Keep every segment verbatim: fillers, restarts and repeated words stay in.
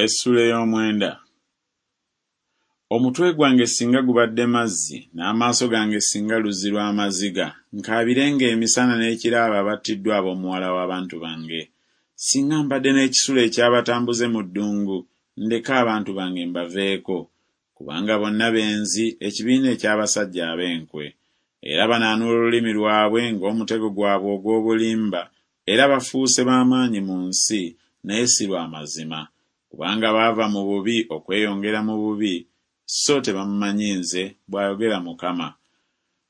Essuula ey'omwenda. Omutwe gwange singa gubadde mazzi, n'amaaso gange singa luzzi lw'amaziga, nkaabirenga emisana n'ekiro abo abattiddwa ab'omuwala w'abantu bange. Singa mbadde n'ekisulo eky'abatambuze mu ddungu, ndeke abantu bange mbaveeko, kubanga bonna benzi, ekibiina eky'abasajja ab'enkwe. Era banaanuula olulimi lwabwe ng'omutego gwabwe ogw'obulimba, era bafuuse b'amaanyi mu nsi, naye si lwa mazima. Kubanga baava mu bubi okweyongera mu bubi, so tebammanyi nze, bw'ayogera Mukama.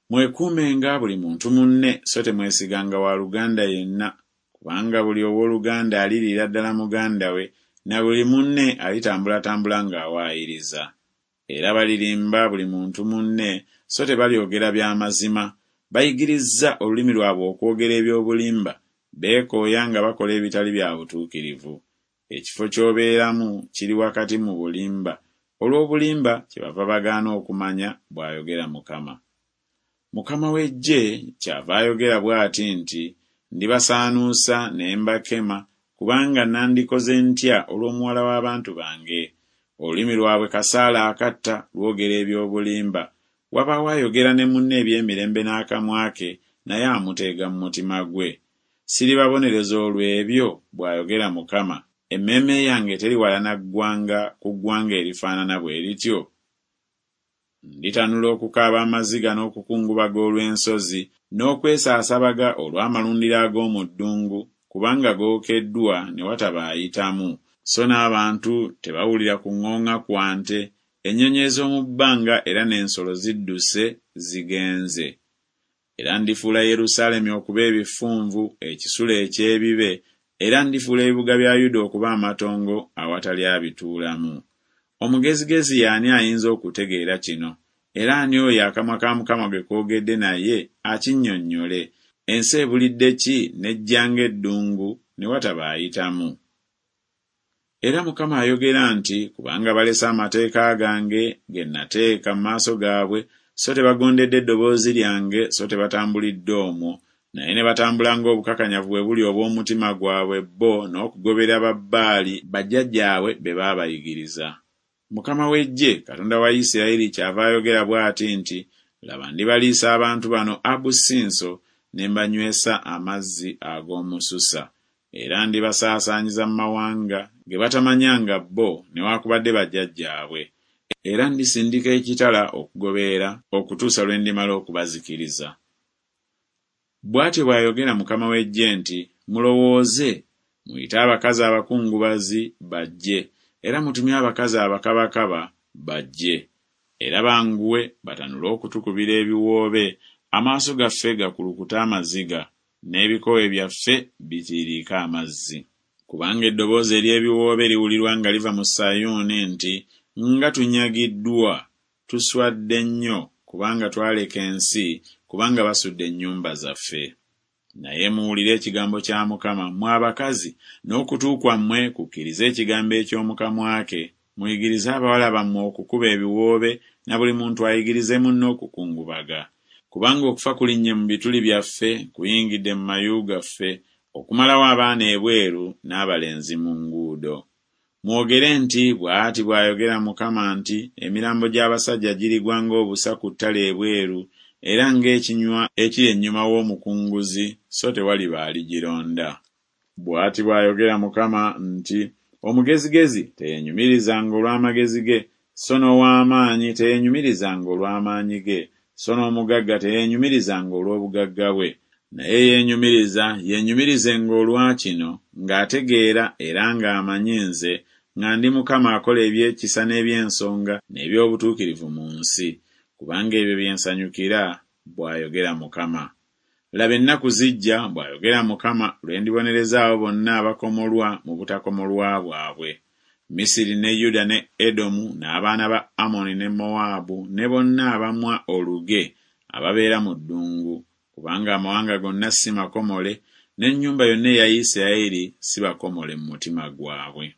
Mwekuumenga buli muntu munne, so temwesiganga wa luganda yenna, kubanga buli owooluganda aliriira ddala muganda we, na buli munne alitambulatambula ng'awaayiriza. Era balirimba buli muntu munne, so tebalyogera bya mazima. Bayigirizza olulimi lwabwe okwogera eby'obulimba, beekooya nga bakola ebitali bya butuukirivu. Ekifo ky'obeeramu kiri wakati mu bulimba, olw'obulimba kyebava bagaana okumanya, bw'ayogera Mukama. Mukama w'eggye kyava ayogera bw'ati nti, Ndibasaanuusa ne mbakema, kubanga nandikoze ntya olw'omuwala w'abantu bange? Olulimi lwabwe kasaale akatta, lwogera eby'obulimba. Wabaawo ayogera ne munne eby'emirembe n'akamwa ke, naye amuteega mu mutima gwe. Siribabonereza olw'ebyo, bw'ayogera Mukama. Emmeeme yange teriwalana ggwanga ku ggwanga erifaanana bwe lityo? Nditanula okukaaba amaziga n'okukungubaga olw'ensozi, n'okwesaasabaga olw'amalundiro ag'omu ddungu, kubanga gookeddwa ne wataba ayitamu. So n'abantu tebawulira kuŋŋooŋa kwa nte, ennyonyi ez'omu bbanga era n'ensolo zidduse zigenze. Era ndifuula Yerusaalemi okuba ebifunvu, ekisulo eky'ebibe, era ndifuula ebibuga bya Yuda okuba amatongo awatali abituulamu. Omugezigezi y'ani ayinza okutegeera kino? Era ani oyo akamwa ka Mukama ge koogedde naye akinnyonnyole? Ensi ebulidde ki n'ejja ng'eddungu ne wataba ayitamu? Era Mukama ayogera nti, Kubanga balese amateeka gange ge nateeka mu maaso gaabwe, so tebagondedde eddoboozi lyange, so tebatambulidde omwo, naye ne batambula ng'obukakanyavu bwe buli obw'omutima gwabwe bo n'okugobera Babbaali bajjajjaabwe be baabayigiriza. Mukama w'eggye, Katonda wa Isirayiri, kyava ayogera bw'ati nti, Laba, ndibaliisa abantu bano abusinso, ne mbanywesa amazzi ag'omususa. Era ndibasaasaanyiza mu mawanga ge batamanyanga bo newaakubadde bajjajjaabwe. Era ndisindika ekitala okugoberera okutuusa lwe ndimala okubazikiriza. Bw'atyo bw'ayogera Mukama w'eggye nti, Mulowooze, muyite abakazi abakungubazi bajje, era mutumye abakazi abakabakaba bajje. Era banguwe batanule okutukubira ebiwoobe, amaaso gaffe gakulukute amaziga, n'ebikowe byaffe bitiiriike amazzi. Kubanga eddoboozi ery'ebiwoobe liwulirwa nga liva mu Sayuuni nti, Nga tunyagiddwa, tuswadde nnyo, kubanga twaleka ensi, kubanga basudde ennyumba zaffe. Naye muwulire ekigambo kya Mukama, mmwe abakazi, n'okutu kwammwe kukkirize ekigambo eky'omu kamwa ke. Muyigirize abawala bammwe okukuba ebiwoobe, na buli muntu ayigirize munne okukungubaga. Kubanga okufa kulinnye mu bituli byaffe, kuyingidde mu mayu gaffe, okumalawo abaana ebweru n'abalenzi mu nguudo. Mwogere nti, Bw'ati bw'ayogera Mukama nti, Emirambo gy'abasajja girigwa ng'obusa ku ttale ebweru, era ng'ekinywa ekiri ennyuma w'omukunguzi, so tewaliba aligironda. Bw'ati bw'ayogera Mukama nti, Omugezigezi teyeenyumirizanga olw'amagezi ge, so n'ow'amaanyi teyeenyumirizanga olw'amaanyi ge, so n'omugagga teyeenyumirizanga olw'obugagga bwe. Naye yeenyumiriza yeenyumirizenga olwa kino, ng'ategeera era ng'amanyi nze, nga ndi Mukama akola eby'ekisa n'eby'ensonga n'eby'obutuukirivu mu nsi, kubanga ebyo bye nsanyukira, bw'ayogera Mukama. Laba, ennaku zijja, bw'ayogera Mukama, lwe ndibonereza abo bonna abakomolwa mu butakomolwa bwabwe, Misiri ne Yuda ne Edomu n'abaana ba Amoni ne Mowaabu ne bonna abamwa oluge ababeera mu ddungu, kubanga amawanga gonna si makomole, n'ennyumba yonna eya Isirayiri si bakomole mu mutima gwabwe.